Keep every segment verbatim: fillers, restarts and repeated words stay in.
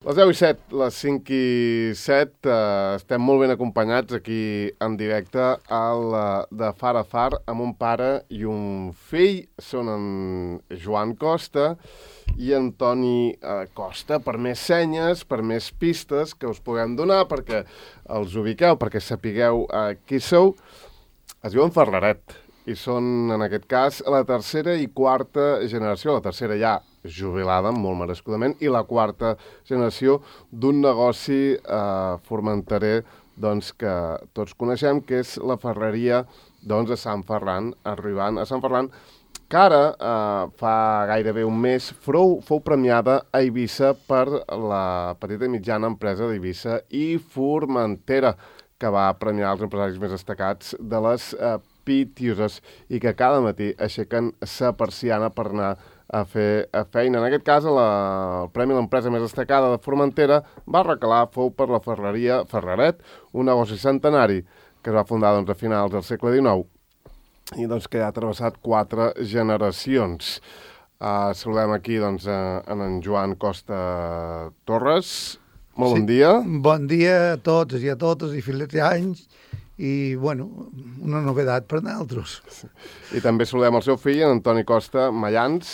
Les deu i set, les cinc i set, eh, estem molt ben acompanyats aquí en directe al eh, de Far a Far amb un pare i un fill. Són en Joan Costa i en Toni eh, Costa, per més senyes, per més pistes que us puguem donar, perquè els ubiqueu, perquè sapigueu eh, qui sou. Es diuen Ferraret i són, en aquest cas, la tercera i quarta generació, la tercera ja jubilada, molt merescudament, i la quarta generació d'un negoci eh, formenterer doncs, que tots coneixem, que és la ferreria doncs, de Sant Ferran, arribant a Sant Ferran, que ara, eh, fa gairebé un mes, fou, fou premiada a Eivissa per la petita i mitjana empresa d'Eivissa i Formentera, que va premiar els empresaris més destacats de les eh, Pitiuses i que cada matí aixequen sa persiana per anar a fer a feina. En aquest cas, la, el Premi a l'Empresa més destacada de Formentera va recalar, fou per la ferreria Ferraret, un negoci centenari que es va fundar doncs, a finals del segle dinou i doncs, que ha travessat quatre generacions. Uh, saludem aquí doncs, a, a en Joan Costa Torres. Molt sí. Bon dia. Bon dia a tots i a totes i filets anys. I, bueno, una novedat per nosaltres. I també saludem el seu fill, en Toni Costa Mayans.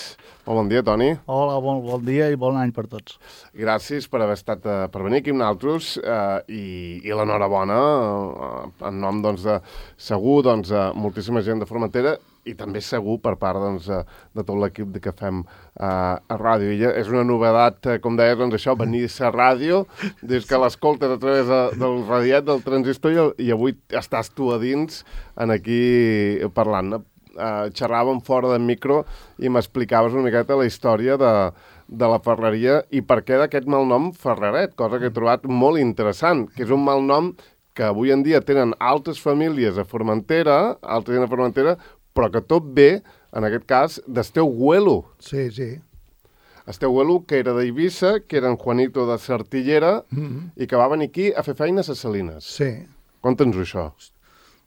Molt bon dia, Toni. Hola, bon, bon dia i bon any per tots. Gràcies per haver estat, uh, per venir aquí amb nosaltres uh, i, i l'enhorabona uh, en nom, doncs, de segur, doncs, uh, moltíssima gent de Formentera i també segur per part doncs, de, de tot l'equip que fem uh, a ràdio. I és una novedat, uh, com deies, doncs això, venir a ràdio, des que l'escoltes a través de, del radiat, del transistor, i, i avui estàs tu a dins en aquí parlant. Uh, xerràvem fora del micro i m'explicaves una miqueta la història de, de la ferreria i per què d'aquest malnom Ferraret, cosa que he trobat molt interessant, que és un malnom que avui en dia tenen altres famílies a Formentera, altres gent a Formentera, però que tot ve, en aquest cas, d'Esteu Güelo. Sí, sí. Esteu Güelo, que era d'Eivissa, que era en Juanito de Sartillera, mm-hmm. i que va venir aquí a fer feina a ses Salines. Sí. Conta'ns això.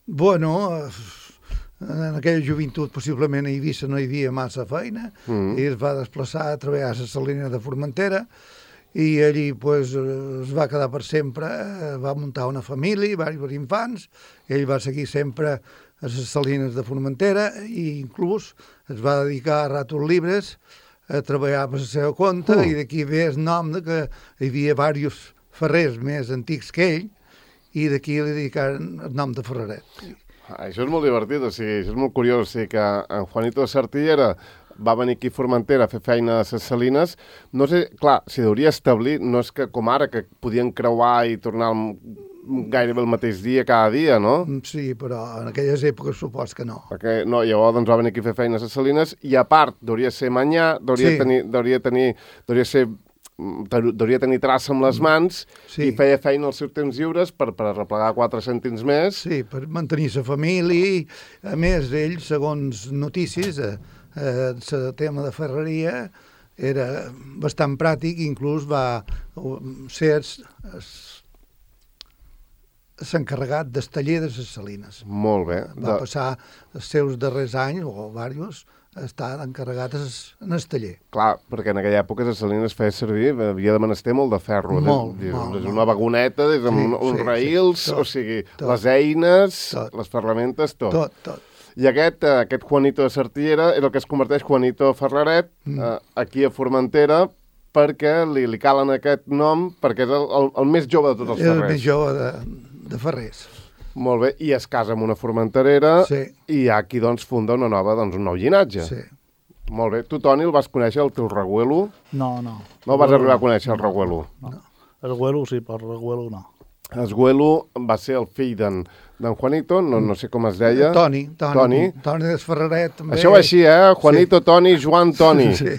Bueno, en aquella joventut possiblement a Eivissa no hi havia massa feina, mm-hmm. i es va desplaçar a treballar a ses Salines de Formentera, i allí pues, es va quedar per sempre, va muntar una família, diversos infants, i ell va seguir sempre a les Salines de Formentera i inclús es va dedicar a ratos llibres a treballar per la seva compte uh. i d'aquí ve el nom de que hi havia diversos ferrers més antics que ell i d'aquí li dedicaren el nom de Ferraret. Ah, això és molt divertit, o sigui, això és molt curiós, o sigui que en Juanito de Sartillera va venir aquí a Formentera a fer feina a les Salines. No sé, clar, s'hi hauria establir, no és que com ara, que podien creuar i tornar gairebé el mateix dia cada dia, no? Sí, però en aquelles èpoques supos que no. Perquè, no, llavors doncs, va venir aquí a fer feina a les Salines i a part, hauria ser manyà, hauria, sí. tenir, hauria, tenir, hauria ser... hauria tenir traça amb les mans sí. i feia feina als seus temps lliures per, per arreplegar quatre cèntims més. Sí, per mantenir la família. A més, ell, segons notícies, el eh, eh, tema de ferreria era bastant pràctic, inclús va ser s'encarregat del taller de les Salines. Molt bé. Va de... passar els seus darrers anys, o diversos, a estar encarregat en el taller. Clar, perquè en aquella època les Salines feia servir, havia de menester molt de ferro. Molt, des, molt. Des una vagoneta, des amb sí, uns sí, raïls, sí, tot, o sigui, tot, les eines, tot, les ferramentes, tot. Tot, tot. I aquest, aquest Juanito de Sartillera és el que es converteix Juanito Ferraret mm. eh, aquí a Formentera perquè li, li calen aquest nom perquè és el, el, el més jove de tots els ferrers. És el més jove de, de ferrers. Molt bé, i es casa amb una formenterera sí. i aquí doncs funda una nova, doncs, un nou llinatge. Sí. Molt bé. Tu, Toni, el vas conèixer, el teu reguelo? No, no. No el vas arribar a conèixer, el reguelo? No. no. El reguelo sí, però el reguelo no. El reguelo va ser el fill d'en Juanito, no, no sé com es deia. Toni. Toni, Toni. Toni des Ferraret. També. Això va així, eh? Juanito, sí. Toni, Joan, Toni. Sí.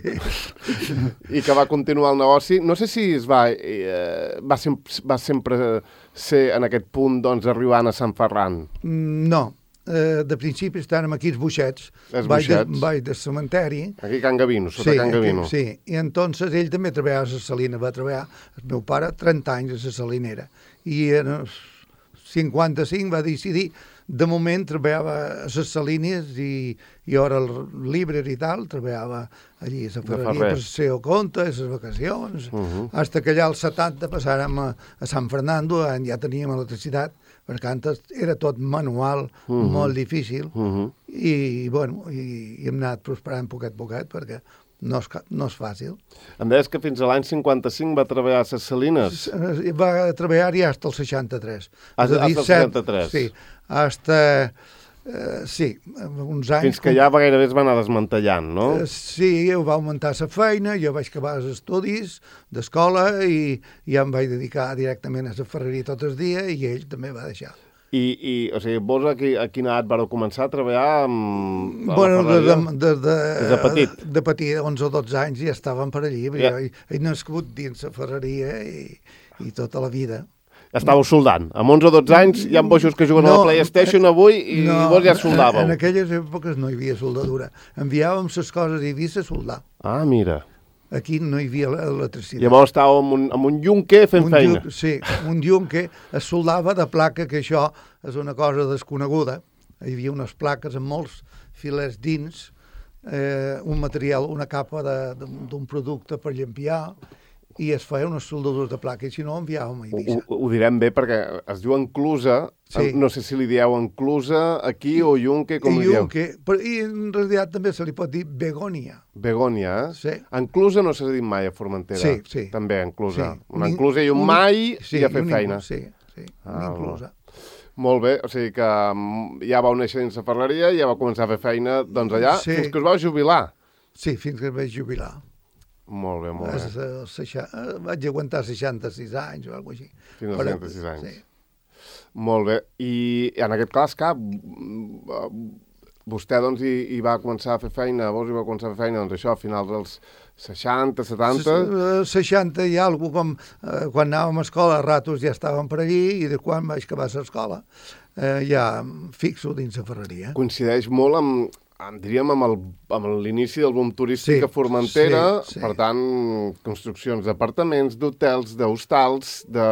I que va continuar el negoci. No sé si es va, eh, va, sem va sempre ser en aquest punt, doncs, arribant a Sant Ferran. No. Eh, de principi estàvem aquí els Buixets. Els baix Buixets. De, baix de cementeri. Aquí a Can Gavino, sota sí, Can Gavino. Aquí, sí, i entonces ell també treballava a la Salina. Va treballar, el meu pare, trenta anys a la Salinera. I en els cinquanta-cinc va decidir de moment treballava a les salines i, i ara el llibre i tal, treballava allí a la ferreria per ser o compte, a les vacacions, uh -huh. hasta que allà als setanta passàrem a, a San Fernando, on ja teníem electricitat, perquè antes era tot manual, uh -huh. molt difícil, uh -huh. i, bueno, i, i hem anat prosperant poquet a poquet, perquè no és, no és fàcil. Em deies que fins a l'any cinquanta-cinc va treballar a les salines? Va treballar-hi fins al seixanta-tres. Fins al seixanta-tres? Sí, hasta... Uh, sí, uns anys... Fins que ja gairebé es va anar desmantellant, no? Uh, sí, ho va augmentar la feina, jo vaig acabar els estudis d'escola i ja em vaig dedicar directament a la ferreria tot el dia i ell també va deixar. I, i o sigui, vos a, qui, a quina edat vareu començar a treballar amb, a bueno, la ferreria? De, de, de, des de petit? De, de petit, onze o dotze anys ja estàvem per allí. Ja. He, he nascut dins la ferreria i, i tota la vida. Estàveu soldant. Amb onze o dotze anys hi ha boixos que juguen no, a la PlayStation avui i no, vos ja soldàveu. En aquelles èpoques no hi havia soldadura. Enviàvem les coses i havia de soldar. Ah, mira. Aquí no hi havia electricitat. Llavors estàveu amb un, amb un yunque fent un feina. Yun, sí, un yunque es soldava de placa, que això és una cosa desconeguda. Hi havia unes plaques amb molts filets dins, eh, un material, una capa d'un producte per llampiar, i es feia unes soldadures de placa, i si no enviàvem a Eivissa. Ho, ho direm bé perquè es diu enclusa, sí. No sé si li dieu enclusa aquí o yunque, com I li dieu? Yunque, i en realitat també se li pot dir begònia. Begònia, eh? Sí. Enclusa no s'ha dit mai a Formentera. Sí, sí. També enclusa. Sí. Una enclusa i un, un mai sí, i a fer un feina. Inclus, sí, sí, una ah, inclusa. Molt bé, o sigui que ja vau néixer dins la ferreria, ja vau començar a fer feina doncs allà, sí. Fins que us vau jubilar. Sí, fins que es vaig jubilar. Molt bé, molt bé. A, vaig aguantar seixanta-sis anys o alguna cosa així. Fins als seixanta-sis anys. Sí. Molt bé. I en aquest cas, cap, vostè doncs hi, hi va començar a fer feina, vos hi va començar a fer feina, doncs això, a finals dels seixanta, setanta... seixanta i alguna cosa, com eh, quan anàvem a escola, a ratos ja estàvem per allí, i de quan vaig acabar l'escola, eh, ja fixo dins la ferreria. Coincideix molt amb, amb diríem, amb l'inici del boom turístic sí, a Formentera, sí, sí. Per tant, construccions d'apartaments, d'hotels, d'hostals, de...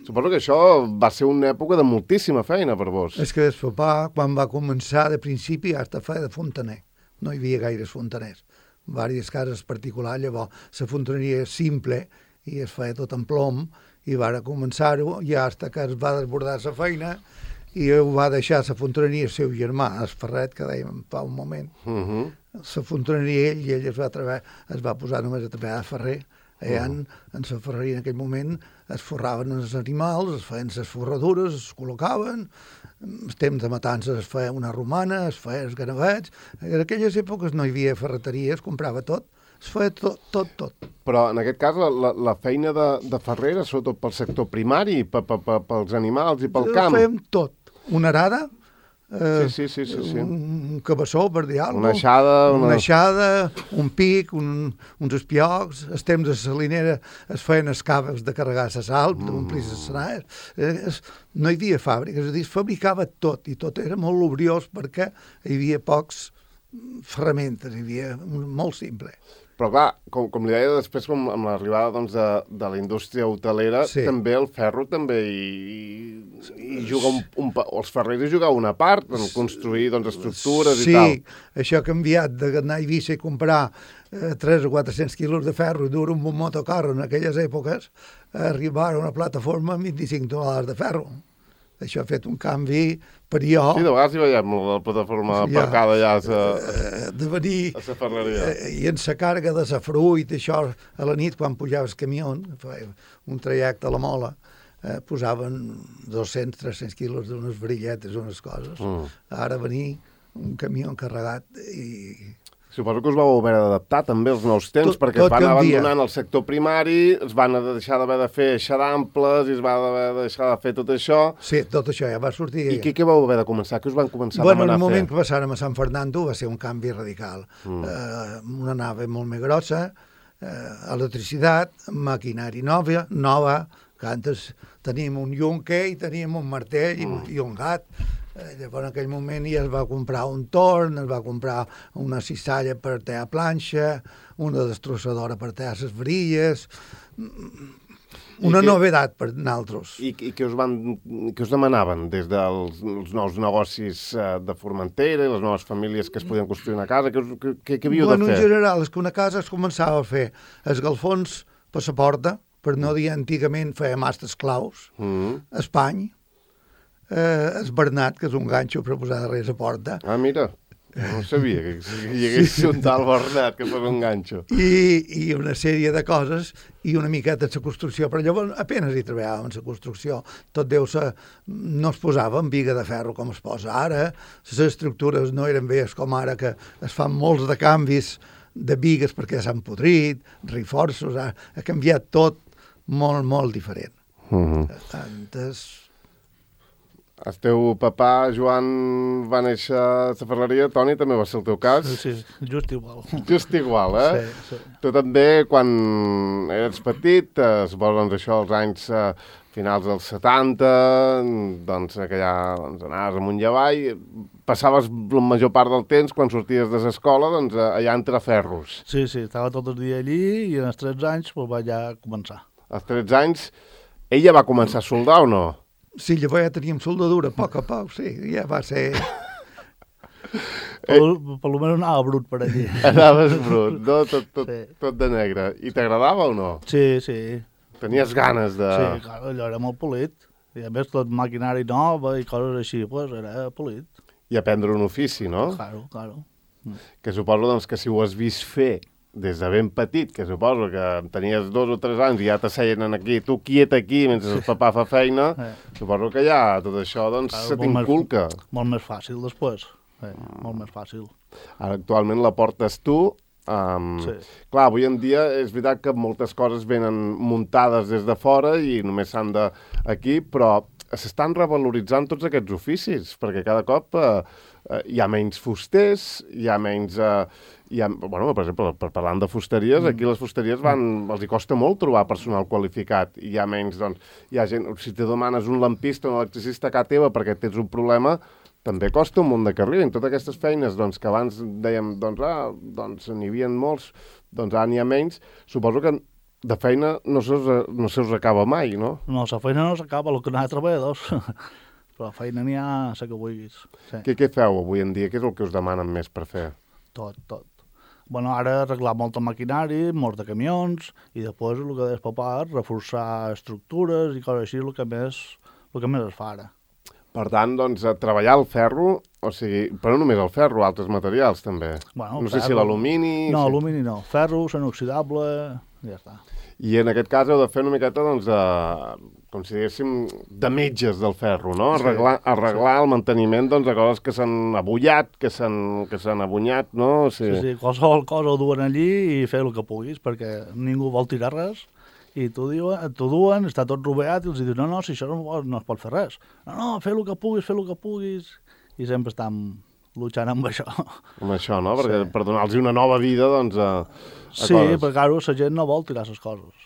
Suposo que això va ser una època de moltíssima feina per vos. És que el papà, quan va començar de principi, hasta feia de fontaner. No hi havia gaires fontaners. Vàries cases particulars, llavors la fontaneria és simple i es feia tot en plom, i va començar-ho, i hasta que es va desbordar la feina, i ho va deixar la fontaneria el seu germà, el Ferret, que dèiem fa un moment. Uh -huh. La fontaneria ell, i ell es va, treballar, es va posar només a treballar a ferrer. Allà, uh -huh. en la ferreria en aquell moment es forraven els animals, es feien les forradures, es col·locaven, en temps de matances es feia una romana, es feia els ganavets. En aquelles èpoques no hi havia ferreteria, es comprava tot. Es feia tot, tot, tot. Però en aquest cas la, la, la feina de, de ferrer era sobretot pel sector primari, pe, pe, pe, pels animals i pel camp. Fèiem tot. Una arada, eh, sí, sí, sí, sí, sí. un cabeçó, per dir alguna cosa. Una aixada. Una... una aixada, un pic, un, uns espiocs. Els temps de salinera es feien escaves de carregar la sal, mm. d'omplir les senars. Eh, no hi havia fàbriques, és a dir, es fabricava tot, i tot era molt lubriós perquè hi havia pocs ferramentes, hi havia molt simple. Però clar, com, com li deia després, com amb l'arribada doncs, de, de la indústria hotelera, sí. També el ferro també hi, hi juga un, un... Els ferrers hi jugava una part en construir doncs, estructures sí, i tal. Sí, això ha canviat d'anar a Eivissa i comprar eh, tres o quatre-cents quilos de ferro i dur un bon motocarro en aquelles èpoques, a arribar a una plataforma amb vint-i-cinc tonelades de ferro. Això ha fet un canvi per jo. Sí, de vegades hi veiem la plataforma aparcada ja a sa, de venir, a sa ferreria. I en la càrrega de sa fruit, això, a la nit, quan pujava el camió, un trajecte a la Mola, eh, posaven dos-cents tres-cents quilos d'unes varilletes, unes coses. Mm. Ara venir un camió encarregat i... Suposo que us vau haver d'adaptar també als nous temps, tot, perquè tot es van canvia. Abandonant el sector primari, es van deixar d'haver de fer xadamples, i es va haver de deixar de fer tot això. Sí, tot això ja va sortir. I què, què vau haver de començar? Què us van començar bueno, a demanar a fer? Bueno, en el moment que passàrem a San Fernando va ser un canvi radical. Mm. Eh, una nave molt més grossa, eh, electricitat, maquinari nova, nova, que antes teníem un yunque i teníem un martell mm. i, i un gat. Llavors, en aquell moment ja es va comprar un torn, es va comprar una cissalla per tallar planxa, una destrossadora per tallar les varilles. Una que, novedat per nosaltres. I, i què us, van, què us demanaven des dels els nous negocis uh, de Formentera i les noves famílies que es podien construir una casa? Què, us, què, què havíeu bueno, de fer? En general, és que una casa es començava a fer esgalfons per la porta, per no dir antigament feia mastres claus, Mm. espany, eh, es Bernat, que és un ganxo per posar darrere la porta, Ah, mira, no sabia que hi hagués un tal Bernat que fos un ganxo. i, i una sèrie de coses i una miqueta de la construcció, però llavors apenas hi treballàvem en la construcció, tot deu ser, no es posava en viga de ferro com es posa ara, les estructures no eren veies com ara, que es fan molts de canvis de vigues perquè s'han podrit, reforços, ha, ha canviat tot molt, molt diferent. Mm-hmm. Antes... El teu papà, Joan, va néixer a la ferreria, Toni, també va ser el teu cas? Sí, just igual. Just igual, eh? Sí, sí. Tu també, quan eres petit, eh, suposo, doncs, això, als anys eh, finals dels setanta, doncs, que ja doncs, anaves amunt i avall, passaves la major part del temps, quan sorties de l'escola, doncs, allà entre ferros. Sí, sí, estava tot el dia allí i en els tretze anys pues, vaig ja començar. Als tretze anys, ella va començar a soldar o no? Sí, llavors ja teníem soldadura, a poc a poc, sí, ja va ser... Per, per lo menys anava brut per allí. Anaves brut, no? Tot, tot, Sí. tot de negre. I t'agradava o no? Sí, sí. Tenies ganes de... Sí, clar, allò era molt polit. I a més tot maquinari nova i coses així, pues era polit. I aprendre un ofici, no? Claro, claro. Que suposo doncs, que si ho has vist fer des de ben petit, que suposo que tenies dos o tres anys i ja t'asseien aquí, tu quiet aquí mentre el papà fa feina, Eh. suposo que ja tot això doncs, Claro, se molt més- t'inculca. Molt més fàcil després. Sí, molt més fàcil. Ara actualment la portes tu. Um, Sí. Clar, avui en dia és veritat que moltes coses venen muntades des de fora i només s'han de aquí, però s'estan revaloritzant tots aquests oficis, perquè cada cop eh, eh, hi ha menys fusters, hi ha menys... Eh, hi ha, bueno, per exemple, per, parlant de fusteries, mm. aquí les fusteries van, els hi costa molt trobar personal qualificat, i hi ha menys, doncs, hi ha gent, si te demanes un lampista o un electricista a casa teva perquè tens un problema, també costa un munt de que arribin. Totes aquestes feines doncs, que abans dèiem, doncs, ah, doncs n'hi havia molts, doncs ara n'hi ha menys, suposo que de feina no se us, no se us acaba mai, no? No, la feina no s'acaba, el que n'ha de treballadors. Però la feina n'hi ha, la que vulguis. Sí. Què, què feu avui en dia? Què és el que us demanen més per fer? Tot, tot. Bueno, ara arreglar molt de maquinari, molts de camions, i després el que deies papà, reforçar estructures i coses així, el que més, el que més es fa ara. Per tant, doncs, a treballar el ferro, o sigui, però no només el ferro, altres materials també. Bueno, no sé ferro- si l'alumini... No, si... alumini no. Ferro, inoxidable, ja està. I en aquest cas heu de fer una miqueta, doncs, de, com si diguéssim, de metges del ferro, no? Arreglar, arreglar el manteniment, doncs, de coses que s'han abullat, que s'han que s'han abunyat, no? O Sí, sigui, sí, qualsevol cosa ho duen allí i fer el que puguis, perquè ningú vol tirar res. I t'ho diuen, t'ho duen, està tot rovellat, i els dius, no, no, si això no, no es pot fer res. No, no, fer el que puguis, fer el que puguis. I sempre estan luchant amb això. amb això, no? Perquè Sí. per donar-los una nova vida, doncs, a, a Sí, coses. perquè, claro, la gent no vol tirar les coses.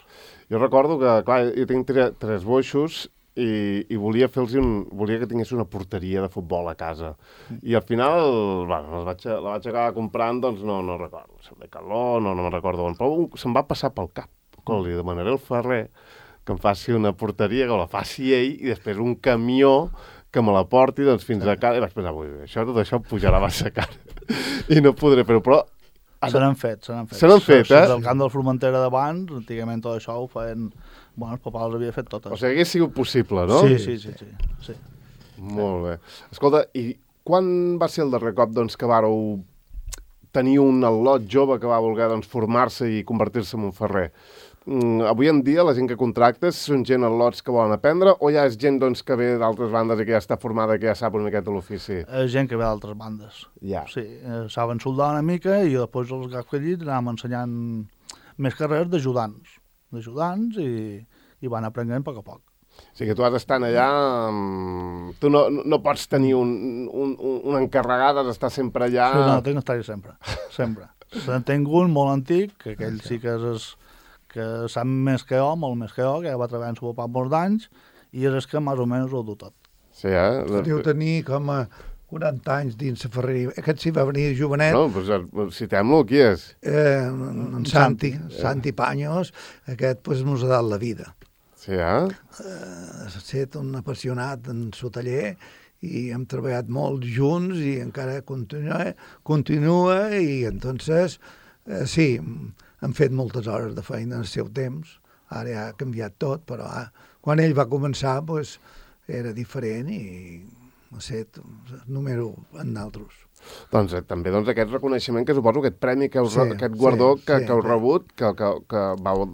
Jo recordo que, clar, jo tinc tre, tres boixos i, i volia fer-los un... volia que tingués una porteria de futbol a casa. I al final, bueno, la vaig, la vaig acabar comprant, doncs no, no recordo. De calor, no, no me'n recordo on. Però un- se'm va passar pel cap. Com li demanaré al ferrer que em faci una porteria, que la faci ell, i després un camió que me la porti doncs, fins a casa. I vaig pensar, ui, això, tot això pujarà massa car. I no podré fer-ho, però... Se n'han fet, se n'han fet. Se n'han fet, eh? Del camp del Formentera d'abans, antigament tot això ho feien... Bueno, el papà els havia fet totes. O sigui, hagués sigut possible, no? Sí, sí, sí, sí, sí. Molt bé. Escolta, i quan va ser el darrer cop doncs, que vàreu tenir un al·lot jove que va voler doncs, formar-se i convertir-se en un ferrer? Mm, avui en dia la gent que contractes són gent al·lots que volen aprendre o ja és gent doncs, que ve d'altres bandes i que ja està formada, que ja sap una miqueta l'ofici? Eh, gent que ve d'altres bandes. Ja. Sí, eh, saben soldar una mica i després els gaps que allí anàvem ensenyant més carrers d'ajudants, d'ajudants i, i van aprenent a poc a poc. O sigui que tu has d'estar allà... mm, Tu no, no pots tenir un, un, un, una encarregada d'estar sempre allà... Sí, no, tinc d'estar-hi sempre, sempre. Se'n tinc un molt antic, que aquell sí que és que sap més que jo, molt més que jo, que ja va treballar en el papà molts d'anys, i és el que més o menys ho du tot. Sí, eh? Deu tenir com a quaranta anys dins la ferreria. Aquest sí va venir de jovenet, No, doncs citem-lo, qui és? eh, en Santi, Santi Paños, aquest pues, ens ha dat la vida. Sí, eh? Uh, ha estat un apassionat en el taller i hem treballat molt junts i encara continua, continua i entonces, uh, sí, hem fet moltes hores de feina en el seu temps. Ara ja ha canviat tot, però ah, quan ell va començar pues, era diferent i ha estat número en d'altres. Doncs eh, també doncs, aquest reconeixement que suposo, aquest premi, que heu, Sí, aquest guardó sí, que, sí, que heu sí. rebut, que, que, que vau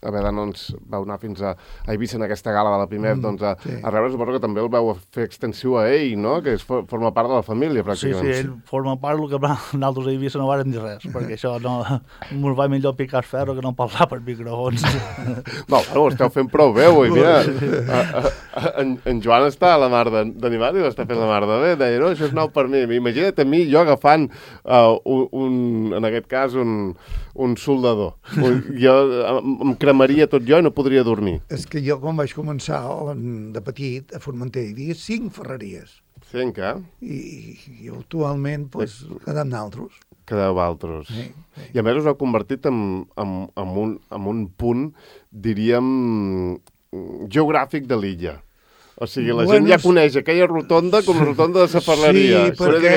haver d'anar, doncs, vau anar fins a, a Eivissa en aquesta gala de la Pimef, Mm, doncs, a, sí. a rebre, suposo que també el vau fer extensiu a ell, no? Que és, forma part de la família, Sí, pràcticament. sí, ell forma part del que nosaltres a Eivissa no vàrem dir res, perquè això no... Mos va millor picar el ferro que no parlar per microfons. No, bueno, ho esteu fent prou bé, avui, mira. A, a, a, en, en Joan està a la mar d'animat i ho està fent la mar de bé. Deia, no, això és nou per mi. Imagina't a mi, jo agafant uh, un, un, en aquest cas, un, un soldador. Un, jo em, em cremaria tot jo i no podria dormir. És que jo quan vaig començar de petit a Formentera hi havia cinc ferreries Cinc, eh? i, i actualment pues, quedem d'altres. Quedeu altres. Sí, sí. I a més us heu convertit en, en, en, un, en un punt, diríem, geogràfic de l'illa. O sigui, la Bueno, gent ja coneix aquella rotonda com la rotonda de la Ferreria. Sí, perquè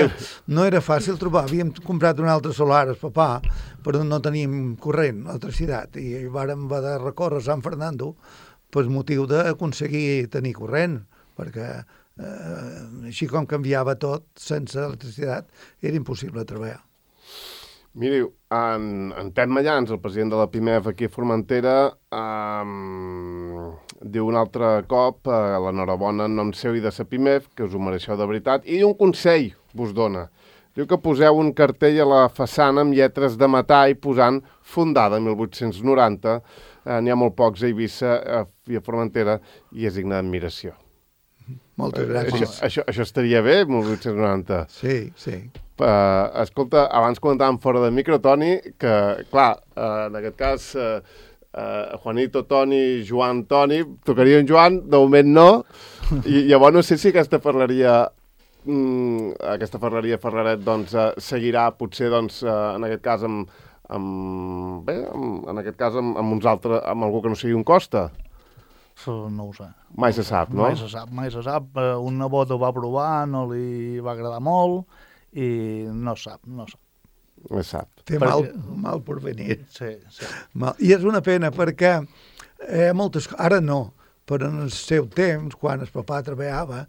no era fàcil trobar. Havíem comprat un altre solar, el papà, però no teníem corrent, electricitat, i vàrem haver de recórrer a Sant Fernando per motiu d'aconseguir tenir corrent, perquè eh, així com canviava tot, sense electricitat, era impossible treballar. Miri, en, en Pep Mallans, el president de la Pimef aquí a Formentera, um, diu un altre cop uh, l'enhorabona en nom seu i de la Pimef, que us ho mereixeu de veritat, i un consell vos dona. Diu que poseu un cartell a la façana amb lletres de metall posant fundada mil vuit-cents noranta. Uh, N'hi ha molt pocs a Eivissa uh, i a Formentera i és digne d'admiració. Moltes Uh, gràcies. això, això, això estaria bé, mil vuit-cents noranta. Sí, sí. Uh, escolta, abans comentàvem fora de micro, Toni, que, clar, uh, en aquest cas, uh, uh, Juanito, Toni, Joan, Toni, tocaria un Joan, de moment no, i llavors no sé si aquesta ferreria, mm, aquesta ferreria Ferraret, doncs, uh, seguirà, potser, doncs, uh, en aquest cas, amb, amb, bé, amb, en aquest cas, amb, amb uns altres, amb algú que no sigui un Costa. No ho sé. Mai se sap, no? Mai se sap, mai se sap. Eh, Un nebot ho va provar, no li va agradar molt, i no sap, no sap. No se sap. Té Perquè- mal, mal por venir. Sí, sí. Mal. I és una pena perquè eh, moltes, ara no, però en el seu temps, quan el papà treballava,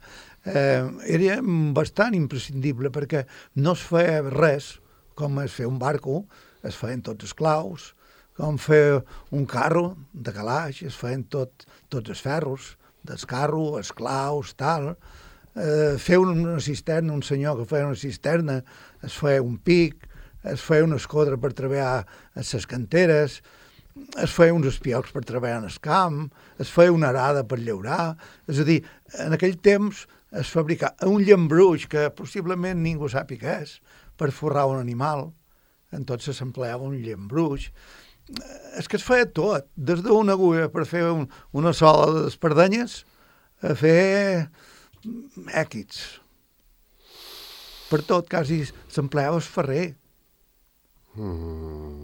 eh, era bastant imprescindible perquè no es feia res, com es feia un barco, es feien tots els claus, com fer un carro de calaix, es feien tot, tots els ferros del carro, els claus, tal. Eh, fer una cisterna, un senyor que feia una cisterna, es feia un pic, es feia una escodra per treballar a les canteres, es feia uns espiocs per treballar en el camp, es feia una arada per llaurar. És a dir, en aquell temps es fabricava un llambruix que possiblement ningú sàpiga què és, per forrar un animal. Entonces s'empleava un llambruix. És que es feia tot, des d'una agulla per fer un, una sola de espardenyes a fer èquits. Per tot, quasi s'empleava el ferrer. Mm.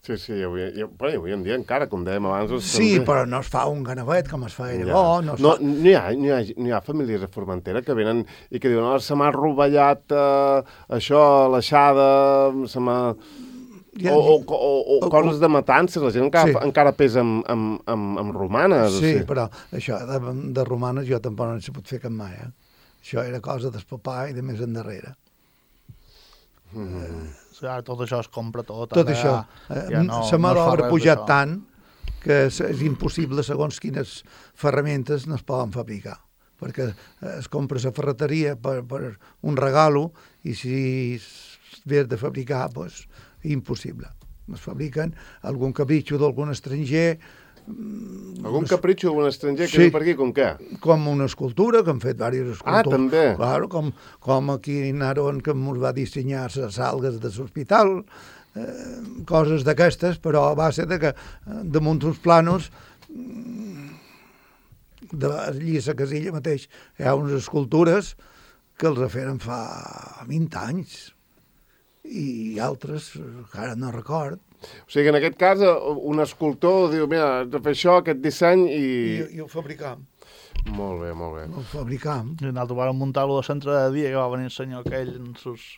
Sí, sí, avui, i, però avui en dia encara, com dèiem abans... els Sí, també- però no es fa un ganavet com es feia Ja. llavors. No es No, fa... n'hi ha, n'hi ha, n'hi ha famílies a Formentera que venen i que diuen, oh, se m'ha rovellat uh, això, l'aixada, se m'ha... Ja- O, o, o, o, o- coses de matances, la gent encara, Sí. encara pesa amb, amb, amb, amb romanes. Sí, o sigui. però això de, de romanes jo tampoc no s'hi pot fer cap mai. Eh? Això era cosa del papà i de més endarrere. Mm. Sí, ara tot això es compra tot. Tot ara això. ja Ja no, la mà no es fa d'obra ha res pujat d'això. tant que és, és impossible, segons quines ferramentes no es poden fabricar. Perquè es compra la ferreteria per, per un regalo i si es ve de fabricar, doncs, impossible. Es fabriquen algun capritxo d'algun estranger, Algun capritxo d'algun estranger que Sí. diu per aquí, com què? com una escultura, que han fet diverses escultures. Ah, també. Claro, com, com aquí Naron, que ens va dissenyar les salgues de l'hospital, eh, coses d'aquestes, però a base de que eh, damunt uns planos mm, de allí a la casilla mateix hi ha unes escultures que els feren fa vint anys i altres, que ara no record, O sigui, en aquest cas, un escultor diu, mira, has de fer això, aquest disseny, i... I, i ho fabricam. Molt bé, molt bé. Ho fabricam. I nosaltres vàrem muntar-lo de centre de dia, que va venir el senyor aquell amb els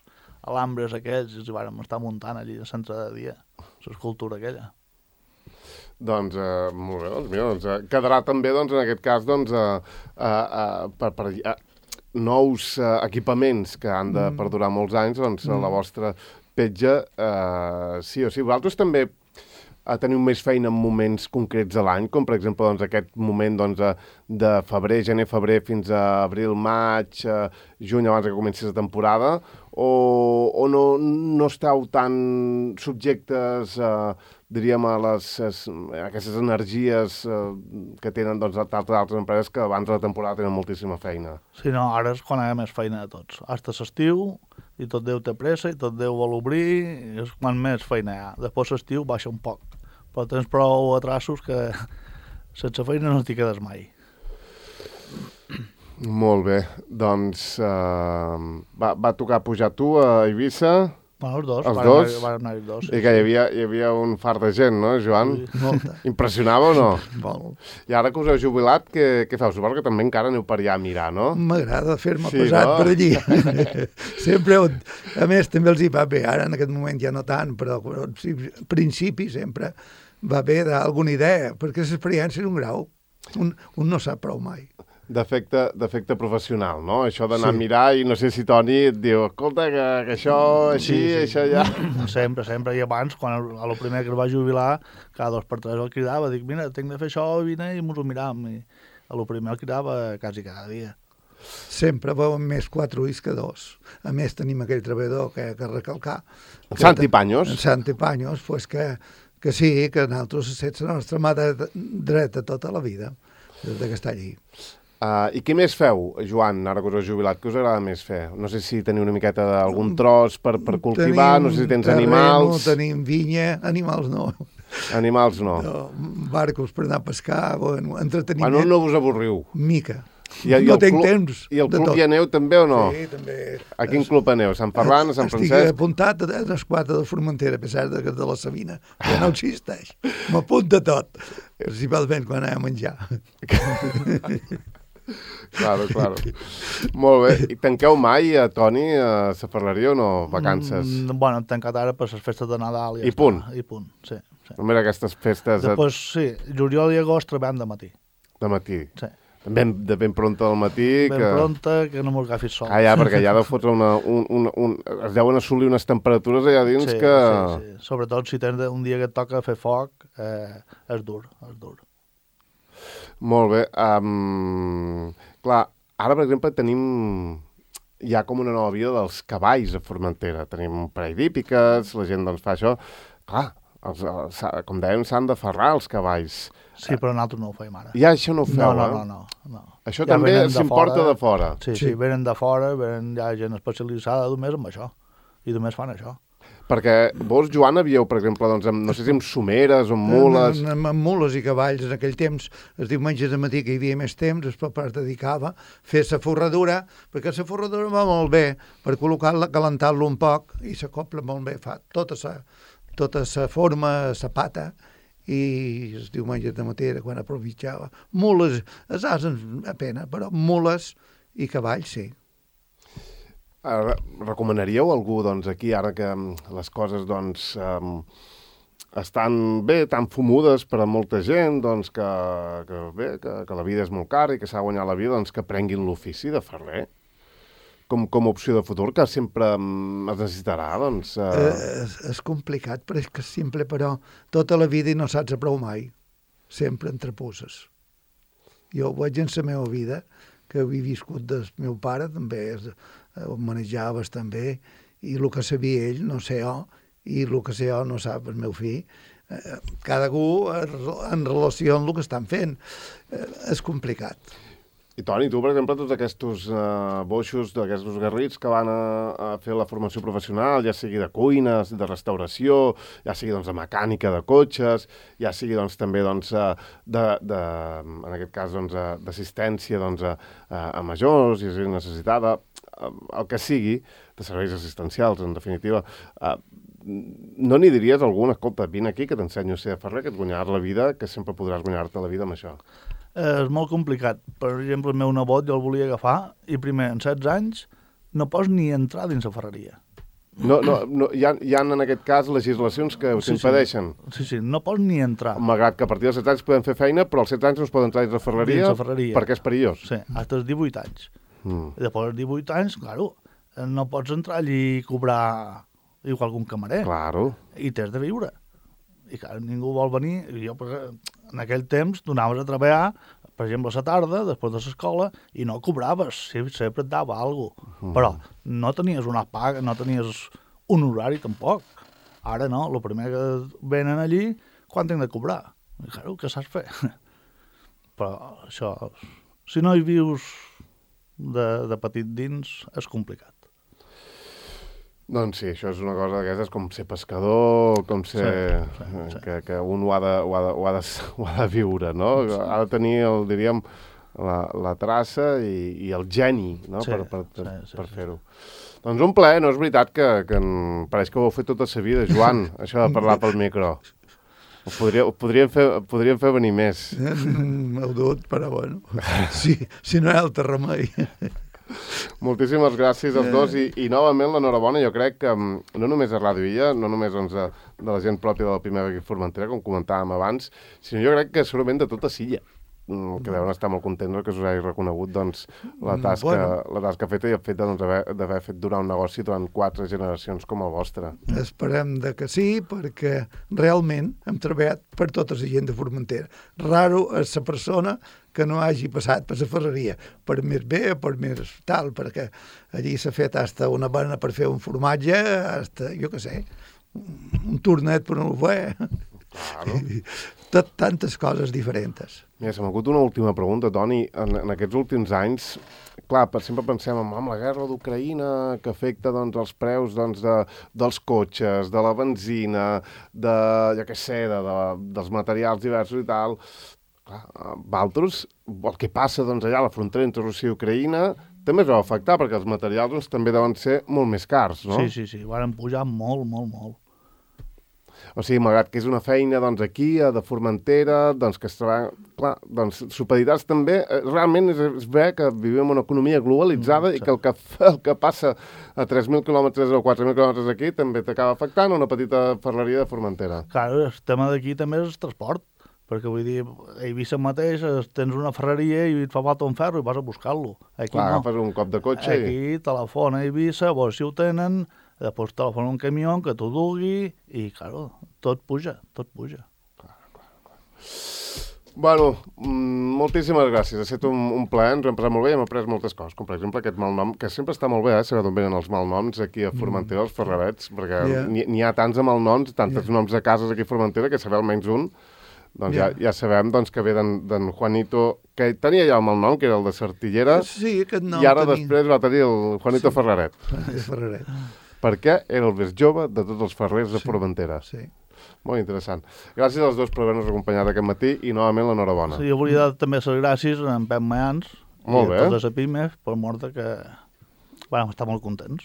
alambres aquells, i els vàrem estar muntant allí de centre de dia, l'escultura aquella. Doncs, eh, molt bé, doncs, mira, doncs, eh, quedarà també, doncs, en aquest cas, doncs, eh, eh, eh, per, per eh, nous eh, equipaments que han de mm. perdurar molts anys, doncs, mm. la vostra petja, eh, sí o sí. Vosaltres també eh, teniu més feina en moments concrets de l'any, com, per exemple, doncs, aquest moment, doncs, de, de febrer, gener, febrer, fins a abril, maig, eh, juny, abans que comenci la temporada, o, o no, no esteu tan subjectes, eh, diríem, a, les, a aquestes energies eh, que tenen doncs, altres, altres empreses que abans de la temporada tenen moltíssima feina. Sí, no, ara és quan hi ha més feina de tots. Hasta l'estiu, i tot Déu té pressa, i tot Déu vol obrir, i és quan més feina hi ha. Després l'estiu baixa un poc, però tens prou atrasos que sense feina no t'hi quedes mai. Molt bé, doncs eh, va, va tocar pujar tu a Eivissa. Bueno, els dos, els van, dos? Anar, van anar els dos. Sí, I que hi havia, hi havia un fart de gent, no, Joan? Sí, molta. Impressionava o no? Molt. I ara que us heu jubilat, què, què feu? Suposo que també encara aneu per allà a mirar, no? M'agrada fer-me Sí, pesat no? per allí. Sempre, a més, també els hi va bé. Ara, en aquest moment, ja no tant, però al principi sempre va bé d'alguna idea, perquè l'experiència és un grau. Un, un no sap prou mai. D'efecte d'efecte professional, no? Això d'anar Sí. a mirar i no sé si Toni et diu, escolta, que, que això així, Sí, sí. això ja... Sempre, sempre. I abans, quan el, a lo primer que es va jubilar, cada dos per tres el cridava, dic, mira, tinc de fer això, vine i mos ho miram. I a lo primer el cridava quasi cada dia. Sempre veuen més quatre ulls que dos. A més, tenim aquell treballador que hi ha que recalcar. En Santi Paños. En Santi Paños, pues que, que sí, que nosaltres és la nostra mà dreta, dreta tota la vida, des que està allí. Uh, I què més feu, Joan, ara que us heu jubilat? Què us agrada més fer? No sé si teniu una miqueta d'algun tros per, per cultivar, Tenim no sé si tens terreno, animals... Tenim vinya, animals no. Animals no. no barcos per anar a pescar, bueno, entreteniment. Bueno, no vos avorriu. Mica. I, i no el tinc club, temps I el de club tot. hi aneu també o no? Sí, també. A quin club aneu? Sant Ferran, a Sant Estic Francesc? apuntat a l'Esquadra de Formentera, a pesar de que és de la Sabina, que no existeix. M'apunta tot, principalment quan anem a menjar. Claro, claro. Molt bé. I tanqueu mai, a Toni, a la ferreria o no? Vacances? Mm, bueno, hem tancat ara per les festes de Nadal. I, I ja punt. Està. I punt, sí. sí. Només aquestes festes de, Després, sí, juliol i agost treballem de matí. de matí. Sí. Ben, de ben pronta del matí. Ben que... pronta, que no mos agafis sol. Ah, ja, perquè ja de fotre una... Un, un, un... Es deuen assolir unes temperatures allà dins sí, que... Sí, sí. Sobretot si tens un dia que et toca fer foc, eh, és dur, és dur. Molt bé. Um, clar, ara, per exemple, tenim... Hi ha com una nova vida dels cavalls a Formentera. Tenim un parell d'hípiques, la gent doncs fa això. Clar, els, els, com dèiem, s'han de ferrar els cavalls. Sí, però nosaltres no ho feim ara. Ja això no ho feu, no, no, eh? no, no, no. Això Ja també venen de s'importa fora. de fora. Sí, sí, Sí. venen de fora, venen ja gent especialitzada només amb això. I només fan això. Perquè vos, Joan, havíeu, per exemple, doncs, amb, no sé si amb someres o amb mules... Amb, amb, amb mules i cavalls, en aquell temps, els diumenges de matí que hi havia més temps, el papa es dedicava a fer la forradura, perquè la forradura va molt bé, per col·locar-la, calentar-lo un poc, i s'acopla molt bé, fa tota la tota sa forma, la pata, i els diumenges de matí era quan aprofittava. Mules, els ases a pena, però mules i cavalls, sí. Ara, recomanaríeu a algú, doncs, aquí, ara que les coses, doncs, um, estan bé, tan fumudes per a molta gent, doncs, que, que bé, que, que la vida és molt cara i que s'ha de guanyar la vida, doncs, que prenguin l'ofici de ferrer com, com a opció de futur, que sempre um, es necessitarà, doncs... Uh... Eh, és, és complicat, però és que simple, però tota la vida i no saps a prou mai. Sempre entreposes. Jo ho veig en la meva vida, que havia viscut del meu pare, també és, ho manejaves també, i el que sabia ell no sé jo, i el que sé jo no sap el meu fill. Eh, cada un en relació amb el que estan fent. Eh, és complicat. I Toni, tu, per exemple, tots aquests uh, boixos, d'aquests garrits que van a, a fer la formació professional, ja sigui de cuines, de restauració, ja sigui doncs, de mecànica de cotxes, ja sigui doncs, també doncs, de, de, en aquest cas doncs, d'assistència doncs, a, a majors, i si necessitada, el que sigui, de serveis assistencials, en definitiva. Uh, no n'hi diries algun, escolta, vine aquí que t'ensenyo a ser ferrer, que et guanyaràs la vida, que sempre podràs guanyar-te la vida amb això? És molt complicat. Per exemple, el meu nebot jo el volia agafar i primer, en setze anys, no pots ni entrar dins la ferreria. No, no, no, hi, ha, hi ha en aquest cas legislacions que us Sí, sí. impedeixen. Sí, sí, no pots ni entrar. Malgrat que a partir dels setze anys podem fer feina, però als setze anys no es poden entrar dins la ferreria, Dins la ferreria. perquè és perillós. Sí, fins als divuit anys. Mm. I després dels divuit anys, claro, no pots entrar allí i cobrar igual que un camarer. Claro. I t'has de viure. I clar, ningú vol venir. I jo, en aquell temps, donaves a treballar, per exemple, a la tarda, després de l'escola, i no cobraves, sempre et dava alguna cosa. Mm. Però no tenies una paga, no tenies un horari tampoc. Ara no, el primer que venen allí, quan tinc de cobrar? I claro, què saps fer? Però això, si no hi vius de, de petit dins, és complicat. Doncs sí, això és una cosa d'aquestes com ser pescador, com ser... Sí, sí, sí. Que, que un ho ha, de, ho, ha de, ho, ha de, ho ha de viure, no? Sí. Ha de tenir, el, diríem, la, la traça i, i el geni, no? Sí, per per, per, sí, sí, per sí. fer-ho. Doncs un plaer, no és veritat que, que en... pareix que ho heu fet tota la vida, Joan, això de parlar pel micro. Ho, podria, ho podríem, fer, podríem fer venir més. M'heu dut, però bueno, si, si no hi ha altre remei. Moltíssimes gràcies als dos i, i novament l'enhorabona. Jo crec que no només a Ràdio Illa, no només doncs, de, de la gent pròpia de la Pimeva i Formentera, com comentàvem abans, sinó jo crec que segurament de tota Silla, que deuen estar molt contents que us hagi reconegut doncs, la, tasca, bueno. la tasca feta i el fet doncs, d'haver fet durar un negoci durant quatre generacions com el vostre. Esperem de que sí, perquè realment hem treballat per tota la gent de Formentera. Raro és la persona que no hagi passat per la ferreria, per més bé o per més tal, perquè allí s'ha fet hasta una bena per fer un formatge, hasta, jo què sé, un tornet per un fe. Claro. Tot, tantes coses diferents. Mira, se m'ha acut una última pregunta, Toni. En, en aquests últims anys, clar, per sempre pensem en, en la guerra d'Ucraïna, que afecta doncs, els preus doncs, de, dels cotxes, de la benzina, de, jo què sé, de, de, dels materials diversos i tal. Clar, Valtros, el que passa doncs, allà a la frontera entre Rússia i Ucraïna també es va afectar, perquè els materials doncs, també deuen ser molt més cars, no? Sí, sí, sí, van pujar molt, molt, molt. O sigui, malgrat que és una feina doncs, aquí, a de Formentera, doncs, que es treballa... Clar, doncs, supeditats també, eh, realment és, és bé que vivim en una economia globalitzada mm, i que el que, el que passa a tres mil quilòmetres o quatre mil quilòmetres aquí també t'acaba afectant una petita ferreria de Formentera. Clar, el tema d'aquí també és el transport, perquè vull dir, a Eivissa mateix tens una ferreria i et fa falta un ferro i vas a buscar-lo. Aquí Clar, no. agafes un cop de cotxe Aquí i... telefona a Eivissa, veus si ho tenen, després telefona un camió que t'ho dugui i, claro, tot puja, tot puja. Clar, clar, clar. Bueno, moltíssimes gràcies. Ha estat un, un plaer, ens ho hem passat molt bé i hem après moltes coses, com per exemple aquest malnom, que sempre està molt bé, eh, saber d'on venen els malnoms aquí a Formentera, els ferrerets, perquè Yeah. n'hi ha tants de malnoms, tantes Yeah. noms de cases aquí a Formentera, que saber almenys un, doncs Yeah. ja, ja sabem doncs, que ve d'en Juanito, que tenia ja el malnom, que era el de Sartillera, Sí, aquest nom i ara tenia. després va tenir el Juanito Sí. Ferreret, És Ferreret. perquè era el més jove de tots els ferrers de Sí. Formentera. Sí. Molt interessant. Gràcies als dos per haver-nos acompanyat aquest matí i novament l'enhorabona. Sí, jo volia dar també les gràcies a en Pep Mayans Molt i bé. a tots els Epímef per mort de que bueno, estar molt contents.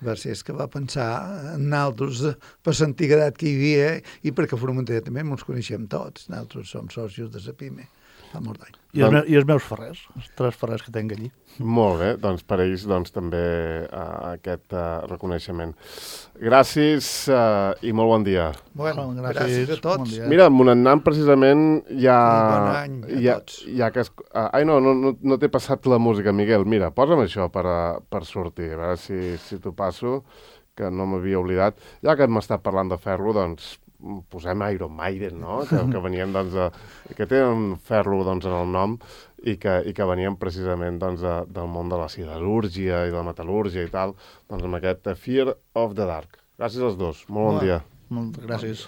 Va ser que va pensar en nosaltres per l'antiguitat que hi havia i perquè a Formentera també ens coneixem tots. Nosaltres som socis de la PIME fa molt d'any. I, els Doncs- meus, I els meus ferrers, els tres ferrers que tinc allí. Molt bé, doncs per ells doncs, també uh, aquest uh, reconeixement. Gràcies uh, i molt bon dia. Bueno, Bon, gràcies, gràcies, a tots. bon dia. Mira, Monannant precisament ja... Bon any a ja, tots. ja que es, uh, ai, no, no, no, no t'he passat la música, Miguel. Mira, posa'm això per, uh, per sortir, a veure si, si t'ho passo, que no m'havia oblidat. Ja que m'ha estat parlant de ferro, doncs posem Iron Maiden, no? Que, que venien, doncs, de, que tenen ferro doncs, en el nom i que, i que venien precisament doncs, de, del món de la siderúrgia i de la metal·lúrgia i tal, doncs amb aquest Fear of the Dark. Gràcies als dos. Molt bon Hola. dia. Moltes gràcies.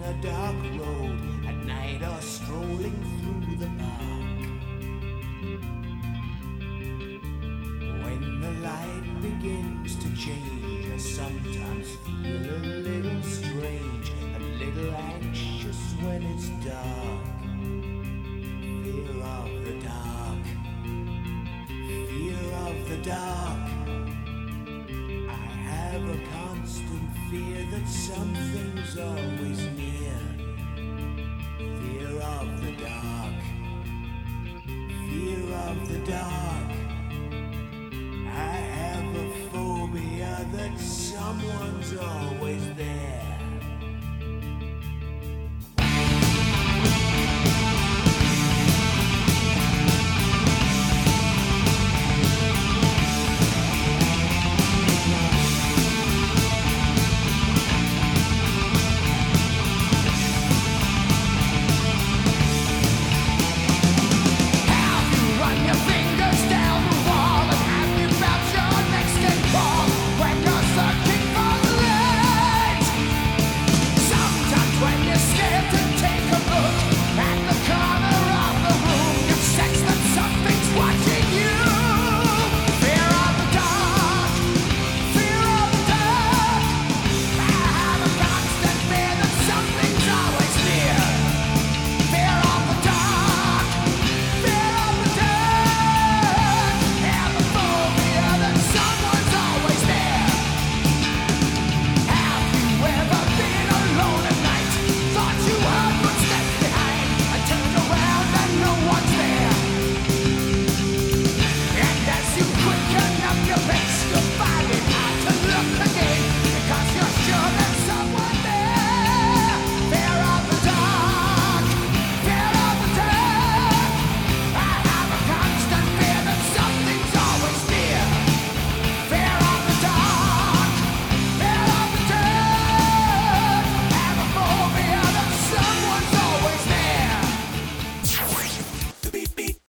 a dark road at night or strolling through the park. When the light begins to change, I sometimes feel a little strange, a little anxious when it's dark. Fear of the dark, fear of the dark. I have a constant fear that something's always near. Fear of the dark, fear of the dark. I have a phobia that someone's always there.